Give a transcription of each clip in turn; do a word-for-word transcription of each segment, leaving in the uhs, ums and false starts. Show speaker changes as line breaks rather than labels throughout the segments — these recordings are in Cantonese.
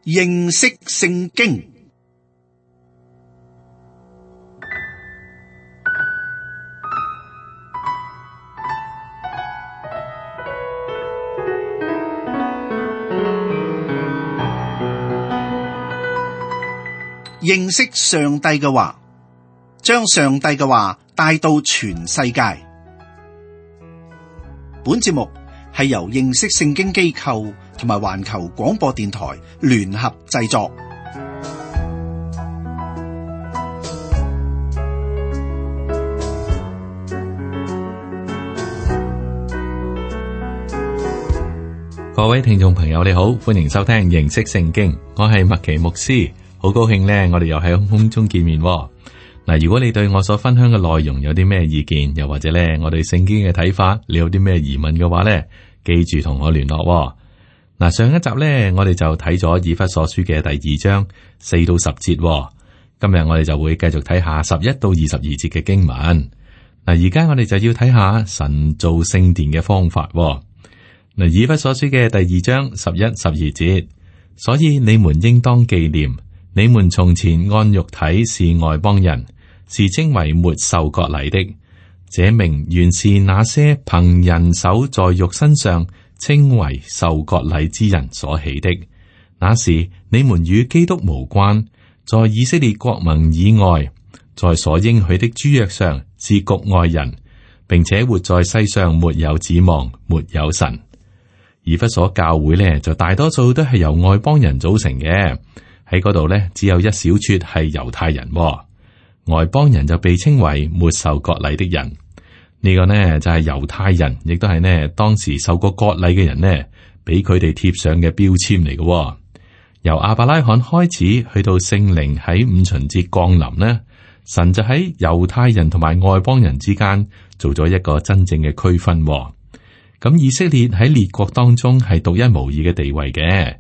認識聖經。認識上帝嘅話，將上帝嘅話帶到全世界。本節目係由認識聖經機構同埋環球廣播電台聯合製作。
各位聽眾朋友，你好，歡迎收聽認識聖經，我係麥奇牧師。好高興咧，我哋又喺空中見面嗱。如果你對我所分享嘅內容有啲咩意見，又或者咧我對聖經嘅睇法，你有啲咩疑問嘅話咧，記住同我聯絡嗱。上一集咧，我哋就睇咗以弗所書嘅第二章四到十節，今日我哋就會繼續睇下十一到二十二節嘅經文嗱。而家我哋就要睇下神造聖殿嘅方法嗱。以弗所書嘅第二章十一、十二節，所以你們應當紀念。你們從前按肉體是外邦人，是稱為沒受割禮的。這名原是那些憑人手在肉身上稱為受割禮之人所起的。那時你們與基督無關，在以色列國民以外，在所應許的諸約上是局外人，並且活在世上沒有指望，沒有神。以弗所教會呢，就大多數都係由外邦人組成嘅。喺嗰度咧，只有一小撮係猶太人，外邦人就被稱為沒受割禮的人。呢個呢就係猶太人，亦都係呢當時受過割禮嘅人呢，俾佢哋貼上嘅標籤嚟嘅。由亞伯拉罕開始，去到聖靈喺五旬節降臨呢，神就喺猶太人同埋外邦人之間做咗一個真正嘅區分。咁以色列喺列國當中係獨一無二嘅地位嘅。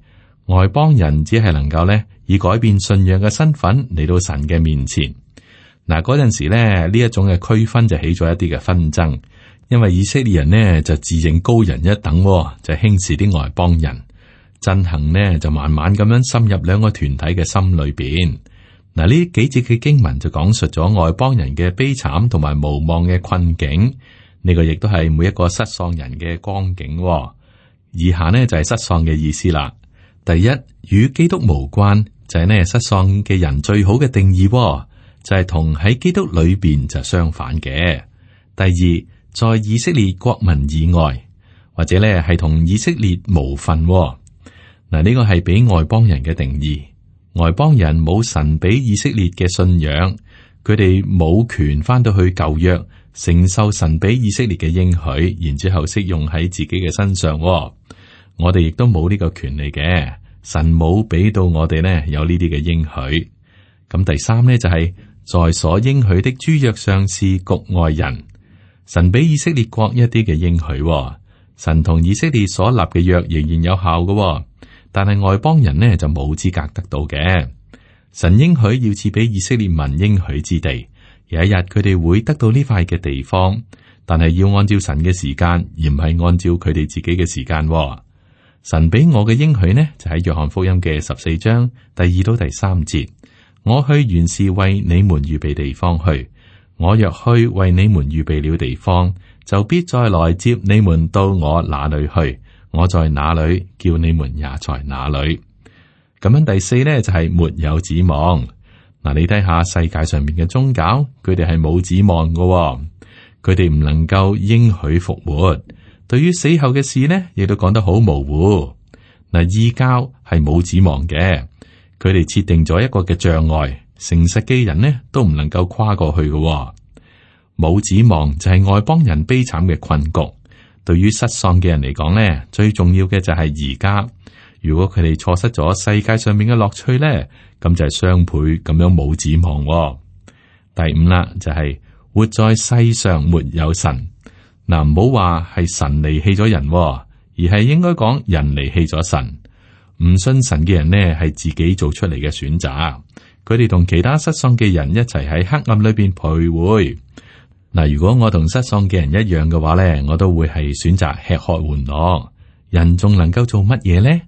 外邦人只係能夠咧以改變信仰嘅身份嚟到神嘅面前。嗱，嗰陣時咧呢一種嘅區分就起咗一啲嘅紛爭，因為以色列人呢就自認高人一等，就輕視啲外邦人。憎恨呢就慢慢咁樣深入兩個團體嘅心裏邊。嗱，呢幾節嘅經文就講述咗外邦人嘅悲慘同埋無望嘅困境。呢個亦都係每一個失喪人嘅光景。以下呢就係失喪嘅意思啦。第一，與基督無關，就係呢失喪嘅人最好嘅定義，就係同喺基督裏邊就相反嘅。第二，在以色列國民以外，或者呢係同以色列無份。嗱，呢個係俾外邦人嘅定義。外邦人冇神俾以色列嘅信仰，佢哋冇權翻到去舊約承受神俾以色列嘅應許，然之後適用喺自己嘅身上。我哋亦都冇呢個權利嘅，神冇俾到我哋呢有呢啲嘅應許。咁第三呢，就係、是、在所應許的諸約上是局外人，神俾以色列國一啲嘅應許，神同以色列所立嘅約仍然有效嘅，但係外邦人呢就冇資格得到嘅。神應許要賜俾以色列民應許之地，有一日佢哋會得到呢塊嘅地方，但係要按照神嘅時間，而唔係按照佢哋自己嘅時間。神俾我嘅應許呢，就喺約翰福音嘅十四章第二到第三節。我去原是為你們預備地方去，我若去為你們預備了地方，就必再來接你們到我那裏去。我在哪裏，叫你們也在哪裏。咁樣第四呢，就係、是、沒有指望。嗱，你睇下世界上面嘅宗教，佢哋係冇指望嘅，佢哋唔能夠應許復活。對於死後嘅事呢，亦都講得好模糊。嗱，異教係冇指望嘅，佢哋設定咗一個嘅障礙，誠實嘅人呢都唔能夠跨過去嘅。冇指望就係外邦人悲慘嘅困局。對於失喪嘅人嚟講呢，最重要嘅就係而家。如果佢哋錯失咗世界上面嘅樂趣呢，咁就係雙倍咁樣冇指望。第五啦，就係、是、活在世上沒有神。嗱，唔好話係神離棄咗人，而係應該講人離棄咗神。唔信神嘅人呢，係自己做出嚟嘅選擇。佢哋同其他失喪嘅人一齊喺黑暗裏邊徘徊。嗱，如果我同失喪嘅人一樣嘅話咧，我都會係選擇吃喝玩樂。人仲能夠做乜嘢咧？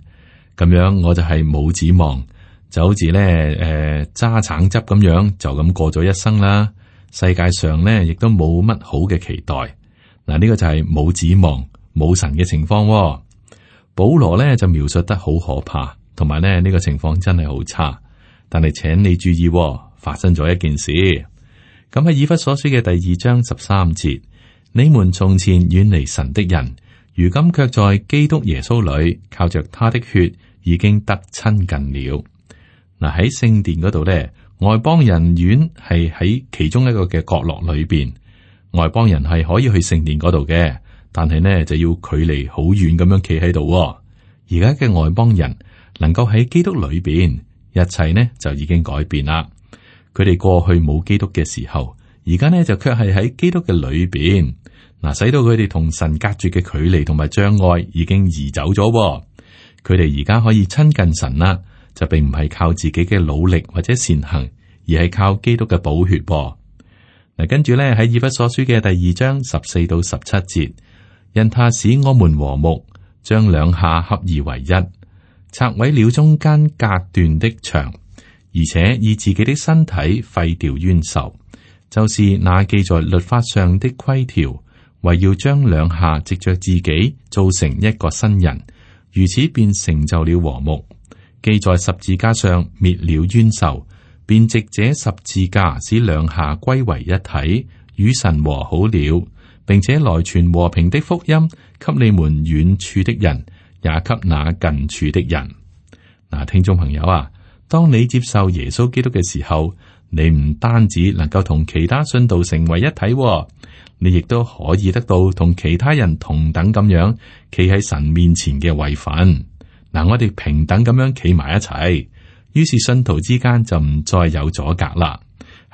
咁樣我就係冇指望，就好似咧誒揸橙汁咁樣就咁過咗一生啦。世界上咧亦都冇乜好嘅期待。嗱，呢個就係冇指望、冇神嘅情況喎。保羅咧就描述得好可怕，同埋咧呢個情況真係好差。但係請你注意喎，發生咗一件事。咁喺以弗所書嘅第二章十三節，你們從前遠離神的人，如今卻在基督耶穌裏，靠着他的血已經得親近了。嗱，喺聖殿嗰度咧，外邦人院係喺其中一個嘅角落裏邊，外邦人係可以去聖殿嗰度嘅，但係呢就要距離好遠咁樣企喺度。而家嘅外邦人能夠喺基督裏邊，一切呢就已經改變啦。佢哋過去冇基督嘅時候，而家呢就卻係喺基督嘅裏邊，嗱，使到佢哋同神隔絕嘅距離同埋障礙已經移走咗。佢哋而家可以親近神啦，就並唔係靠自己嘅努力或者善行，而係靠基督嘅寶血。嗱，跟住咧喺以弗所書嘅第二章十四到十七節，因他使我們和睦，將兩下合而為一，拆毀了中間隔斷的牆。而且以自己的身體廢掉冤仇，就是那記在律法上的規條，為要將兩下藉着自己造成一個新人，如此便成就了和睦。記在十字架上滅了冤仇，便藉這十字架使兩下歸為一體，與神和好了，並且來傳和平的福音，給你們遠處的人，也給那近處的人。嗱，聽眾朋友啊，當你接受耶穌基督嘅時候，你唔單止能夠同其他信徒成為一體，你亦都可以得到同其他人同等咁樣企喺神面前嘅位份。嗱，我哋平等咁樣企埋一齊，於是信徒之間就唔再有阻隔啦。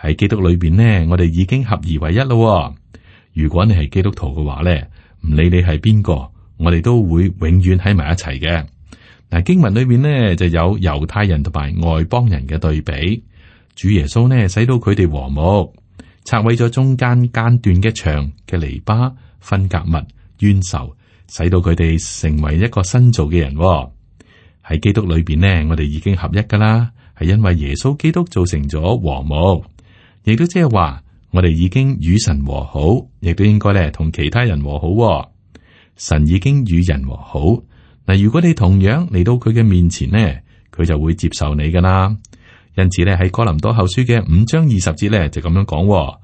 喺基督裏邊呢，我哋已經合而為一咯。如果你係基督徒嘅話呢，唔理你係邊個，我哋都會永遠喺埋一齊嘅。嗱，經文裏面呢就有猶太人同埋外邦人嘅對比，主耶穌呢使到佢哋和睦，拆毀咗中間間斷嘅牆嘅籬笆、分隔物、冤仇，使到佢哋成為一個新造嘅人。喺基督裏邊呢，我哋已經合一噶啦，係因為耶穌基督造成咗和睦，亦都即係話我哋已經與神和好，亦都應該咧同其他人和好。神已經與人和好。嗱，如果你同樣嚟到佢嘅面前呢，佢就會接受你噶啦。因此咧，喺哥林多後書嘅五章二十節咧就咁樣講：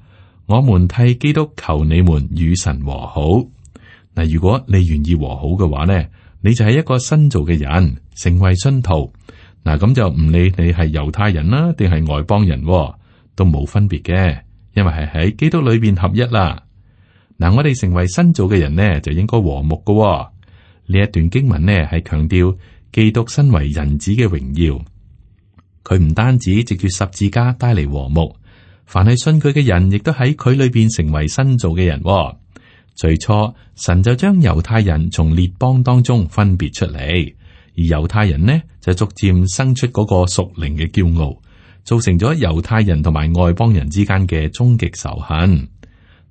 我們替基督求你們與神和好。嗱，如果你願意和好嘅話呢，你就係一個新造嘅人，成為信徒。嗱，咁就唔理你係猶太人啦，定係外邦人，都冇分別嘅，因為係喺基督裏邊合一啦。嗱，我哋成為新造嘅人呢，就應該和睦噶。呢一段經文呢，係強調基督身為人子嘅榮耀，佢唔單止藉住十字架帶嚟和睦，凡係信佢嘅人，亦都喺佢裏邊成為新造嘅人。最初神就將猶太人從列邦當中分別出嚟，而猶太人呢就逐漸生出嗰個屬靈嘅驕傲，造成咗猶太人同埋外邦人之間嘅終極仇恨。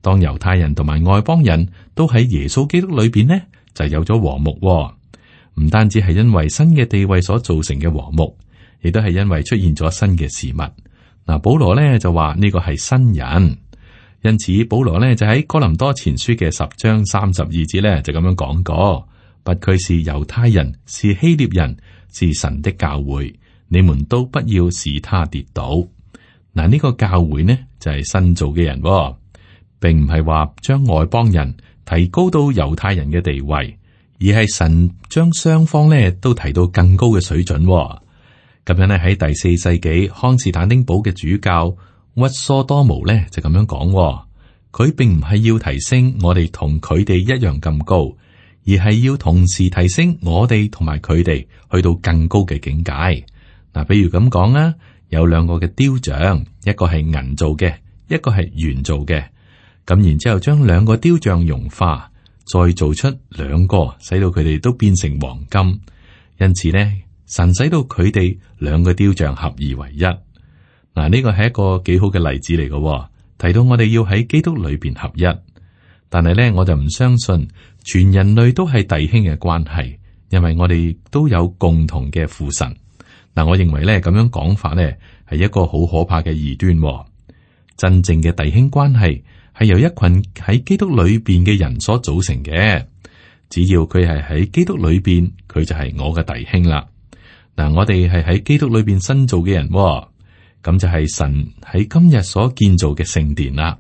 當猶太人同埋外邦人都喺耶穌基督裏邊呢，就有咗和睦。唔單止係因為新嘅地位所造成嘅和睦，亦都係因為出現咗新嘅事物。嗱，保羅呢就話呢個係新人，因此保羅呢就喺哥林多前書嘅十章三十二節呢就咁樣講過：不拘是猶太人，是希臘人，是神的教會，你們都不要使他跌倒。嗱，呢個教會呢就係新造嘅人，並唔係話將外邦人提高到猶太人嘅地位，而係神將雙方咧都提到更高嘅水準。咁樣咧喺第四世紀康士坦丁堡嘅主教屈蘇多姆咧就咁樣講，佢並唔係要提升我哋同佢哋一樣咁高，而係要同時提升我哋同埋佢哋去到更高嘅境界。嗱，比如咁講啦，有兩個嘅雕像，一個係銀做嘅，一個係鉛做嘅。咁然之後將兩個雕像融化，再做出兩個，使到佢哋都變成黃金。因此呢，神使到佢哋兩個雕像合而為一。嗱，呢個係一個幾好嘅例子嚟嘅，提到我哋要喺基督裏邊合一。但係呢，我就唔相信全人類都係弟兄嘅關係，因為我哋都有共同嘅父神。嗱，我認為咧咁樣講法咧係一個好可怕嘅異端喎。真正嘅弟兄關係係由一群喺基督裏邊嘅人所組成嘅。只要佢係喺基督裏邊，佢就係我嘅弟兄啦。嗱，我哋係喺基督裏邊新造嘅人喎，咁就係神喺今日所建造嘅聖殿啦。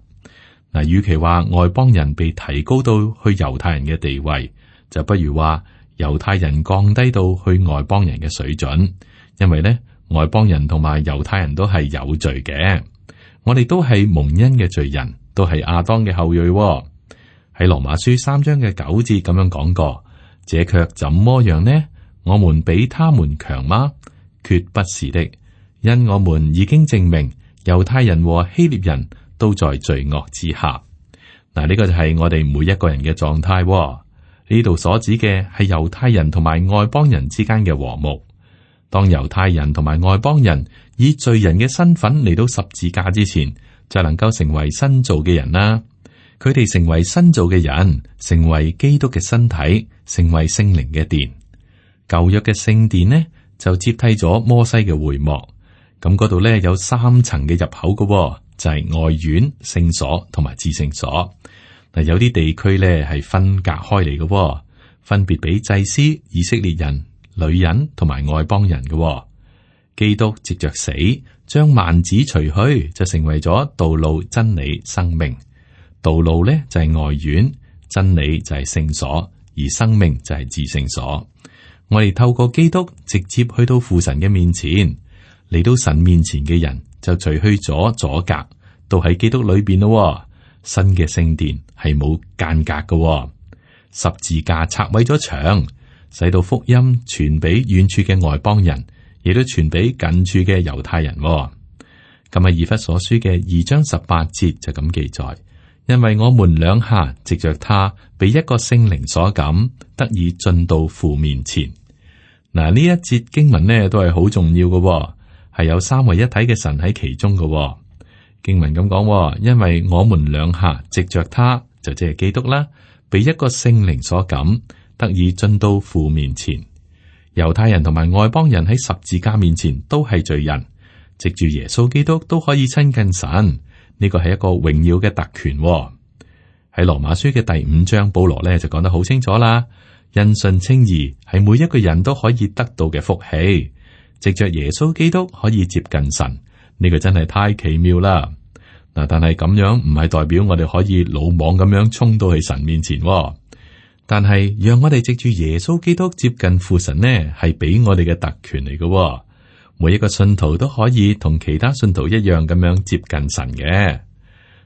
嗱，與其話外邦人被提高到去猶太人嘅地位，就不如話猶太人降低到去外邦人嘅水準。因為咧，外邦人同埋猶太人都係有罪嘅，我哋都係蒙恩嘅罪人，都係亞當嘅後裔喎。喺羅馬書三章嘅九節咁樣講過，這卻怎麼樣呢？我們比他們強嗎？決不是的，因我們已經證明猶太人和希臘人都在罪惡之下。嗱，呢個就係我哋每一個人嘅狀態喎。呢度所指嘅係猶太人同埋外邦人之間嘅和睦。當猶太人同埋外邦人以罪人嘅身份嚟到十字架之前，就能夠成為新造嘅人啦。佢哋成為新造嘅人，成為基督嘅身體，成為聖靈嘅殿。舊約嘅聖殿呢，就接替咗摩西嘅會幕。咁嗰度咧有三層嘅入口嘅，就係、是、外院、聖所同埋至聖所。嗱，有啲地區咧係分隔開嚟嘅，分別俾祭司、以色列人、女人同埋外邦人嘅、哦。基督藉着死將幔子除去，就成為咗道路、真理、生命。道路咧就係、是、外院，真理就係聖所，而生命就係至聖所。我哋透過基督直接去到父神嘅面前，嚟到神面前嘅人就除去咗阻隔，都喺基督裏邊咯。新嘅聖殿係冇間隔嘅、哦，十字架拆毀咗牆。使到福音傳俾遠處嘅外邦人，亦都傳俾近處嘅猶太人、哦。咁喺以弗所書嘅二章十八節就咁記載，因為我們兩下藉着他被一個聖靈所感，得以進到父面前。嗱，呢一節經文呢都係好重要嘅、哦，係有三位一體嘅神喺其中嘅、哦。經文咁講、哦，因為我們兩下藉着他，就即係基督啦，被一個聖靈所感。得以進到父面前。猶太人同埋外邦人喺十字架面前都係罪人，藉住耶穌基督都可以親近神。呢個係一個榮耀嘅特權、哦。喺羅馬書嘅第五章，保羅咧就講得好清楚啦。因信稱義係每一個人都可以得到嘅福氣，藉着耶穌基督可以接近神。呢、這個真係太奇妙啦。嗱，但係咁樣唔係代表我哋可以魯莽咁樣衝到去神面前、哦。但係，讓我哋藉住耶穌基督接近父神呢，係俾我哋嘅特權嚟嘅、哦。每一個信徒都可以同其他信徒一樣咁樣接近神嘅。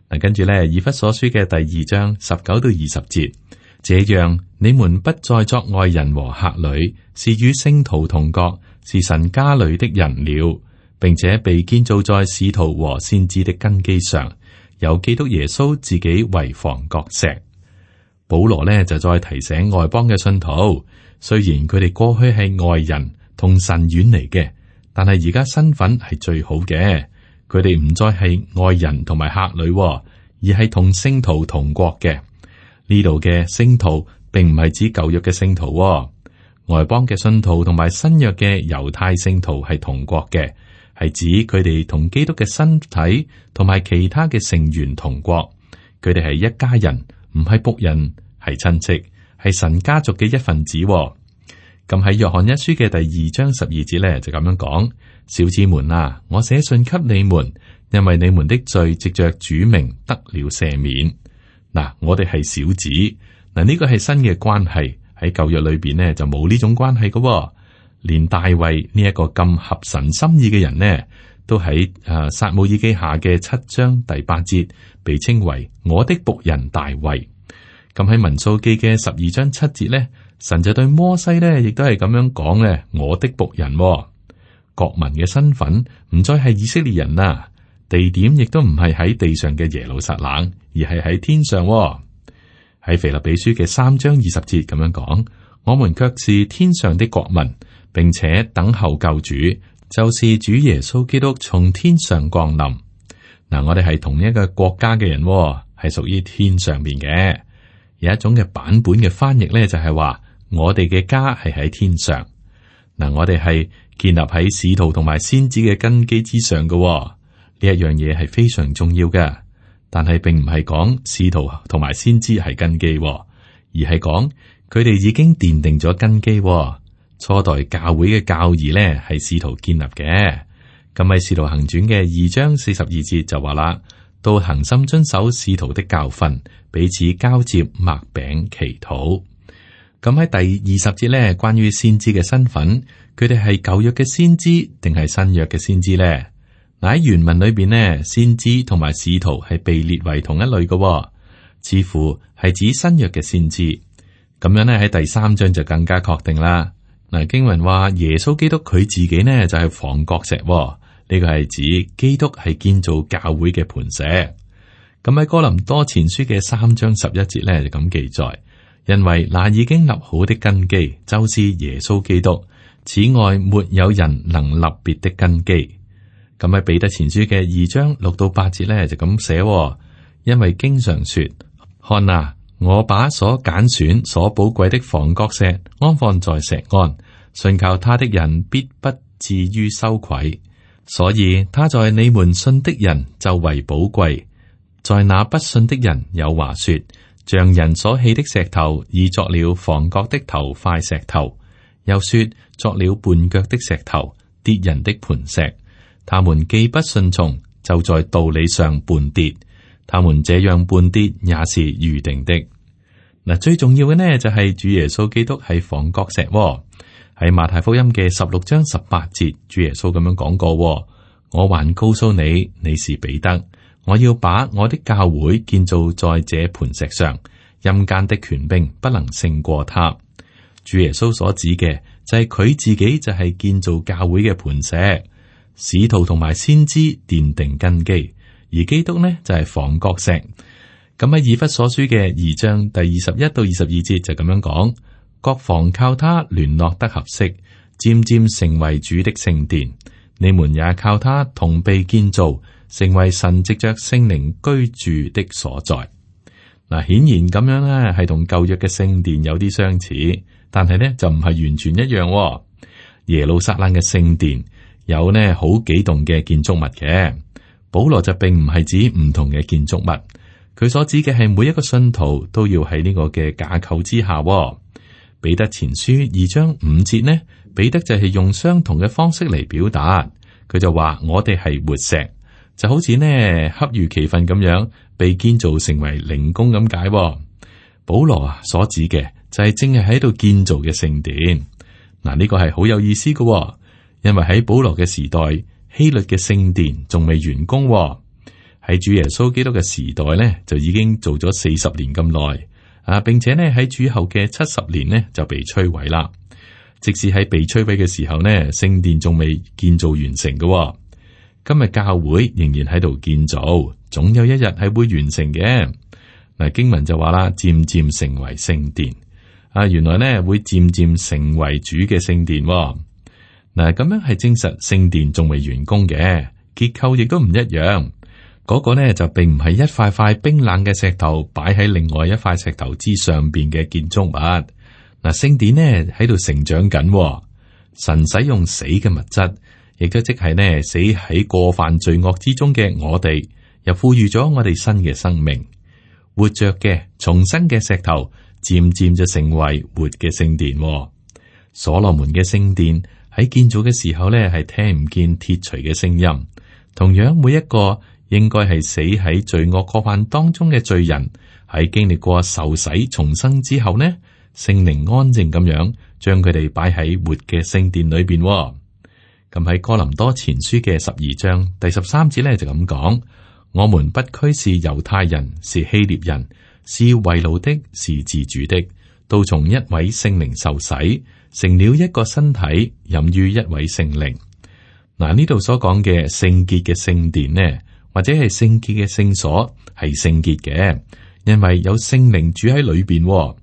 嗱，跟住咧，以弗所書嘅第二章十九到二十節，這樣你們不再作外人和客旅，是與聖徒同國，是神家裏的人了，並且被建造在使徒和先知的根基上，有基督耶穌自己為房角石。保羅呢就再提醒外邦嘅信徒，雖然佢哋過去係外人，同神遠離嘅，但係而家身份係最好嘅。佢哋唔再係外人同埋客旅，而係同聖徒同國嘅。呢度嘅聖徒並唔係指舊約嘅聖徒，外邦嘅信徒同埋新約嘅猶太聖徒係同國嘅，係指佢哋同基督嘅身體同埋其他嘅成員同國。佢哋係一家人。唔係僕人，係親戚，係神家族嘅一份子、哦。咁喺約翰一書嘅第二章十二節咧，就咁樣講：小子們啊，我寫信給你們，因為你們的罪藉着主名得了赦免。嗱，我哋係小子，嗱、這、呢個係新嘅關係，喺舊約裏邊呢，就冇呢種關係嘅、哦。連大衛呢一個咁合神心意嘅人呢，都喺誒撒母耳記下嘅七章第八節。被稱為我的僕人大衛。咁喺民數記嘅十二章七節咧，神就對摩西咧，亦都係咁樣講咧，我的僕人、哦。國民嘅身份唔再係以色列人啦，地點亦都唔係喺地上嘅耶路撒冷，而係喺天上、哦。喺腓立比書嘅三章二十節咁樣講，我們卻是天上的國民，並且等候救主，就是主耶穌基督從天上降臨。嗱，我哋係同一個國家嘅人、哦，係屬於天上邊嘅。有一種嘅版本嘅翻譯咧，就係話我哋嘅家係喺天上。嗱，我哋係建立喺使徒同埋先知嘅根基之上嘅，呢一樣嘢係非常重要嘅。但係並唔係講使徒同埋先知係根基，而係講佢哋已經奠定咗根基。初代教會嘅教義呢係使徒建立嘅。咁喺《使徒行傳》嘅二章四十二節就話啦，都恒心遵守使徒的教訓，彼此交接擘餅祈禱。咁喺第二十節呢，關於先知嘅身份，佢哋係舊約嘅先知定係新約嘅先知呢？嗱，喺原文裏邊呢，先知同埋使徒係被列為同一類嘅，似乎係指新約嘅先知。咁樣呢，喺第三章就更加確定啦。嗱，經文話耶穌基督佢自己呢就係房角石，呢個係指基督係建造教會嘅磐石。咁喺哥林多前書嘅三章十一節呢，就咁記載，因為那已經立好的根基就是耶穌基督，此外沒有人能立別的根基。咁喺彼得前書嘅二章六到八節呢，就咁寫，因為經常說，看啊，我把所揀選、所寶貴的房角石安放在石岸，信靠他的人必不至於羞愧。所以他在你們信的人就為寶貴，在那不信的人有話說，像人所棄的石頭，已作了房角的頭塊石頭；又說作了絆腳的石頭，跌人的磐石。他們既不順從，就在道理上絆跌。他們這樣絆跌也是預定的。嗱，最重要嘅呢就係主耶穌基督係房角石。喺馬太福音嘅十六章十八節，主耶穌咁樣講過：我還告訴你，你是彼得，我要把我的教會建造在這磐石上，陰間的權柄不能勝過他。主耶穌所指嘅就係佢自己就係建造教會嘅磐石，使徒同埋先知奠定根基。而基督呢就係房角石，咁喺以弗所書嘅二章第二十一到二十二節就咁樣講：各房靠他聯絡得合適，漸漸成為主的聖殿。你們也靠他同被建造，成為神藉着聖靈居住的所在。嗱，顯然咁樣咧係同舊約嘅聖殿有啲相似，但係呢就唔係完全一樣。耶路撒冷嘅聖殿有呢好幾棟嘅建築物嘅。保羅就並唔係指唔同嘅建築物，佢所指嘅係每一個信徒都要喺呢個嘅架構之下。彼得前書二章五節呢，彼得就係用相同嘅方式嚟表達，佢就話我哋係活石，就好似呢恰如其分咁樣被建造成為靈宮咁解。保羅啊所指嘅就係正係喺度建造嘅聖殿。嗱，呢個係好有意思嘅，因為喺保羅嘅時代，希律嘅聖殿仲未完工。喺主耶穌基督嘅時代呢，就已經做咗四十年咁耐啊，並且呢喺主後嘅七十年呢就被摧毀啦。即使喺被摧毀嘅時候呢，聖殿仲未建造完成嘅。今日教會仍然喺度建造，總有一日係會完成嘅。嗱，經文就話啦，漸漸成為聖殿啊，原來呢會漸漸成為主嘅聖殿。嗱，咁樣係證實聖殿仲未完工嘅，結構亦都唔一樣。嗰個呢就並唔係一塊塊冰冷嘅石頭擺喺另外一塊石頭之上邊嘅建築物。嗱，聖殿呢喺度成長緊，神使用死嘅物質，亦都即係呢死喺過犯罪惡之中嘅我哋，又賦予咗我哋新嘅生命，活着嘅重生嘅石頭，漸漸就成為活嘅聖殿。所羅門嘅聖殿喺建造嘅時候咧，係聽唔見鐵錘嘅聲音。同樣，每一個應該係死喺罪惡過犯當中嘅罪人，喺經歷過受洗重生之後呢，聖靈安靜咁樣將佢哋擺喺活嘅聖殿裏邊。咁喺哥林多前書嘅十二章第十三節咧就咁講：我們不拘是猶太人，是希臘人，是為奴的，是自主的，都從一位聖靈受洗，成了一個身體，飲於一位聖靈。嗱，呢度所講嘅聖潔嘅聖殿呢，或者係聖潔嘅聖所，係聖潔嘅，因為有聖靈住喺裏邊，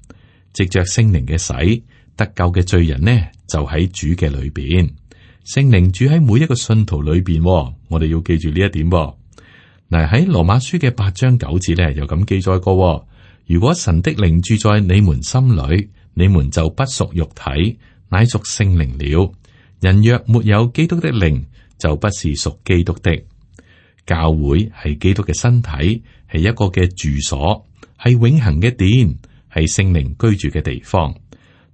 藉着聖靈嘅洗，得救嘅罪人呢就喺主嘅裏邊。聖靈住喺每一個信徒裏邊，我哋要記住呢一點。嗱，喺羅馬書嘅八章九節咧，又咁記載過：如果神的靈住在你們心裏，你們就不屬肉體，乃屬聖靈了。人若沒有基督的靈，就不是屬基督的。教會係基督嘅身體，係一個嘅住所，係永恆嘅殿，係聖靈居住嘅地方。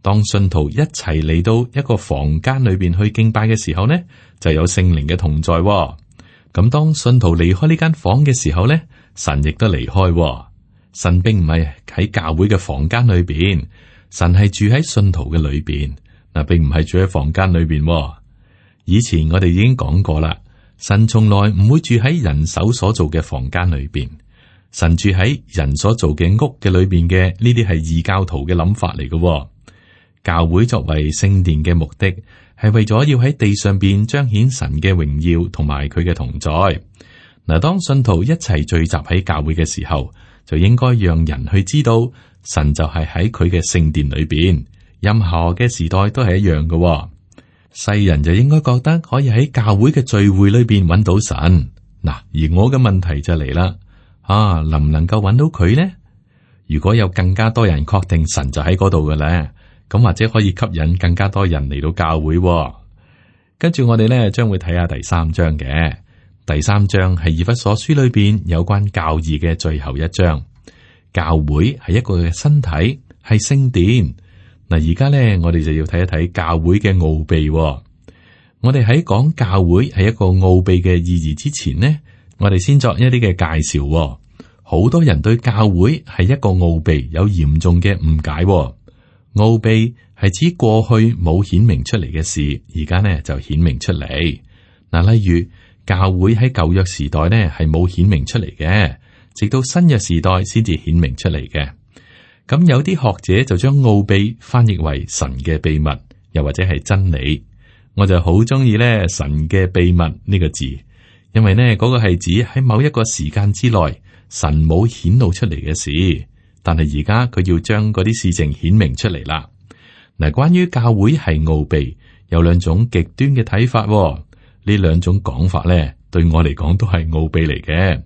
當信徒一齊嚟到一個房間裏邊去敬拜嘅時候呢，就有聖靈嘅同在。咁當信徒離開呢間房嘅時候呢，神亦都離開。神並唔係喺教會嘅房間裏邊，神係住喺信徒嘅裏邊。嗱，並唔係住喺房間裏邊。以前我哋已經講過啦，神從來唔會住喺人手所做嘅房間裏邊，神住喺人所做嘅屋嘅裏邊嘅。呢啲係異教徒嘅諗法嚟嘅。教會作為聖殿嘅目的，係為咗要喺地上邊彰顯神嘅榮耀同埋佢嘅同在。嗱，當信徒一齊聚集喺教會嘅時候，就應該讓人去知道神就係喺佢嘅聖殿裏邊。任何嘅時代都係一樣嘅。世人就應該覺得可以喺教會嘅聚會裏邊揾到神。嗱，而我嘅問題就嚟啦，啊，能唔能夠揾到佢呢？如果有更加多人確定神就喺嗰度嘅咧，咁或者可以吸引更加多人嚟到教會。跟住我哋咧將會睇下第三章嘅。第三章係以弗所書裏邊有關教義嘅最後一章。教會係一個嘅身體，係聖殿。嗱，而家咧我哋就要睇一睇教會嘅奧秘。我哋喺講教會係一個奧秘嘅意義之前呢，我哋先作一啲嘅介紹。好多人對教會係一個奧秘有嚴重嘅誤解。奧秘係指過去冇顯明出嚟嘅事，而家呢就顯明出嚟。嗱，例如教會喺舊約時代呢係冇顯明出嚟嘅，直到新約時代先至顯明出嚟嘅。咁有啲學者就將奧秘翻譯為神嘅秘密，又或者係真理。我就好中意咧神嘅秘密呢個字，因為呢嗰個係指喺某一個時間之內神冇顯露出嚟嘅事。但係而家佢要將嗰啲事情顯明出嚟啦。嗱，關於教會係奧秘，有兩種極端嘅睇法。呢兩種講法咧，對我嚟講都係奧秘嚟嘅。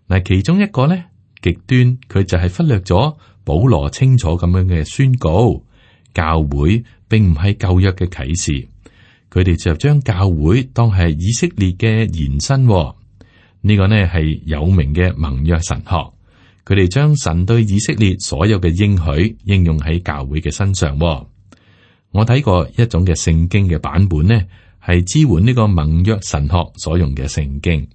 嗱，其中一個咧極端，佢就係忽略咗保羅清楚咁樣嘅宣告，教會並唔係舊約嘅啟示。佢哋就將教會當係以色列嘅延伸。呢個呢係有名嘅盟約神學。佢哋將神對以色列所有嘅應許應用喺教會嘅身上。我睇過一種嘅聖經嘅版本呢，係支援呢個盟約神學所用嘅聖經。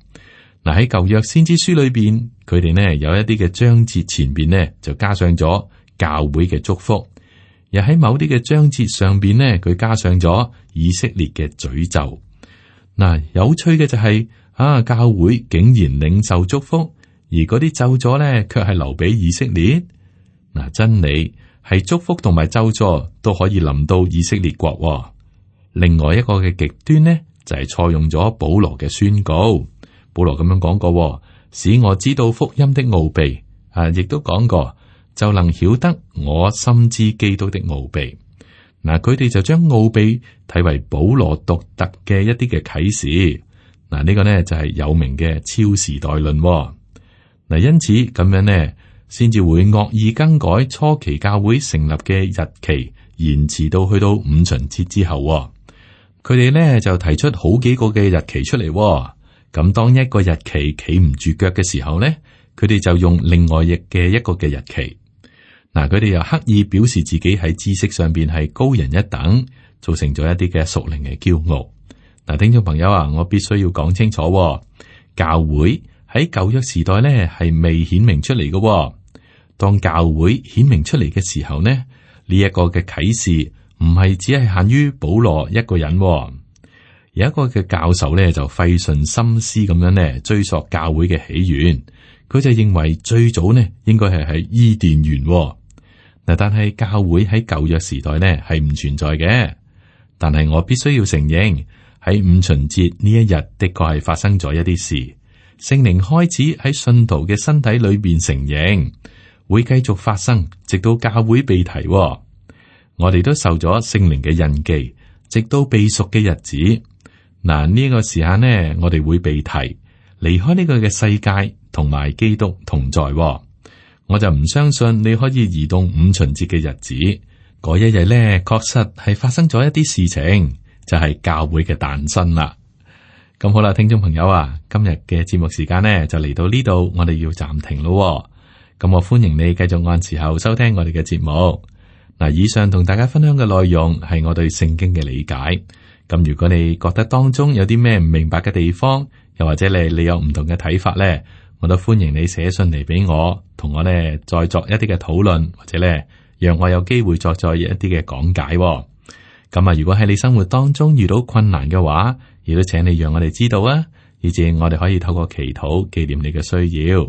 嗱，喺舊約先知書裏邊，佢哋呢有一啲嘅章節前邊呢就加上咗教會嘅祝福，又喺某啲嘅章節上邊呢，佢加上咗以色列嘅詛咒。嗱，有趣嘅就係啊，教會竟然領受祝福。而嗰啲咒詛咧，卻係留俾以色列。嗱，真理係祝福同埋咒詛都可以臨到以色列國。另外一個嘅極端呢，就係錯用咗保羅嘅宣告。保羅咁樣講過，使我知道福音的奧秘。啊，亦都講過，就能曉得我深知基督的奧秘。嗱，佢哋就將奧秘睇為保羅獨特嘅一啲嘅啟示。嗱，呢個呢就係有名嘅超時代論。嗱，因此咁樣呢，先至會惡意更改初期教會成立嘅日期，延遲到去到五旬節之後。佢哋呢就提出好幾個嘅日期出嚟。咁當一個日期企唔住腳嘅時候呢，佢哋就用另外亦嘅一個嘅日期。嗱，佢哋又刻意表示自己喺知識上邊係高人一等，造成咗一啲嘅屬靈嘅驕傲。嗱，聽眾朋友啊，我必須要講清楚，教會喺舊約時代咧係未顯明出嚟嘅。當教會顯明出嚟嘅時候呢，呢一個嘅啟示唔係只係限於保羅一個人。有一個嘅教授咧就費盡心思咁樣咧追溯教會嘅起源，佢就認為最早呢應該係喺伊甸園。嗱，但係教會喺舊約時代咧係唔存在嘅。但係我必須要承認，喺五旬節呢一日的確係發生咗一啲事。聖靈開始喺信徒嘅身體裏邊成形，會繼續發生，直到教會被提。我哋都受咗聖靈嘅印記，直到被贖嘅日子。嗱，呢個時間呢，我哋會被提，離開呢個嘅世界，同埋基督同在。我就唔相信你可以移動五旬節嘅日子，嗰一日咧，確實係發生咗一啲事情，就係教會嘅誕生啦。咁好啦，聽眾朋友啊，今日嘅節目時間呢就嚟到呢度，我哋要暫停咯。咁我歡迎你繼續按時候收聽我哋嘅節目。嗱，以上同大家分享嘅內容係我對聖經嘅理解。咁如果你覺得當中有啲咩唔明白嘅地方，又或者你你有唔同嘅睇法咧，我都歡迎你寫信嚟俾我，同我咧再作一啲嘅討論，或者咧讓我有機會作再一啲嘅講解。咁啊，如果喺你生活當中遇到困難嘅話，亦都請你讓我哋知道啊，以至我哋可以透過祈禱紀念你嘅需要。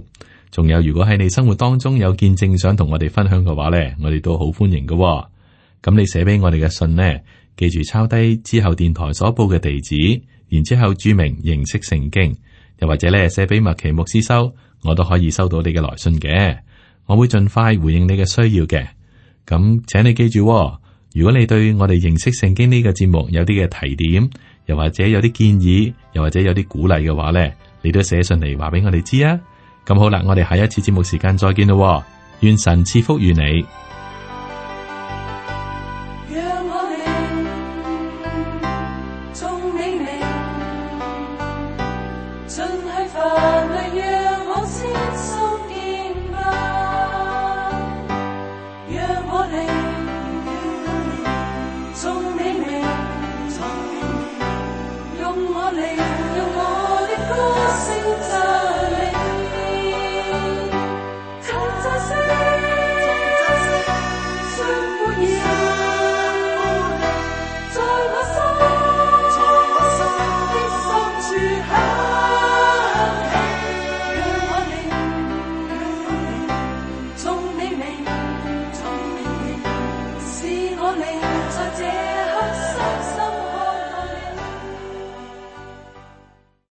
仲有，如果喺你生活當中有見證想同我哋分享嘅話咧，我哋都好歡迎嘅。咁你寫俾我哋嘅信呢，記住抄低之後電台所報嘅地址，然之後注明認識聖經，又或者咧寫俾麥奇牧師收，我都可以收到你嘅來信嘅。我會盡快回應你嘅需要嘅。咁請你記住，如果你對我哋認識聖經呢個節目有啲嘅提點，又或者有啲建議，又或者有啲鼓勵嘅話咧，你都寫信嚟話俾我哋知啊。咁好啦，我哋下一次節目時間再見咯。願神賜福於你。
讓我靈眾你名，盡去凡類讓我先心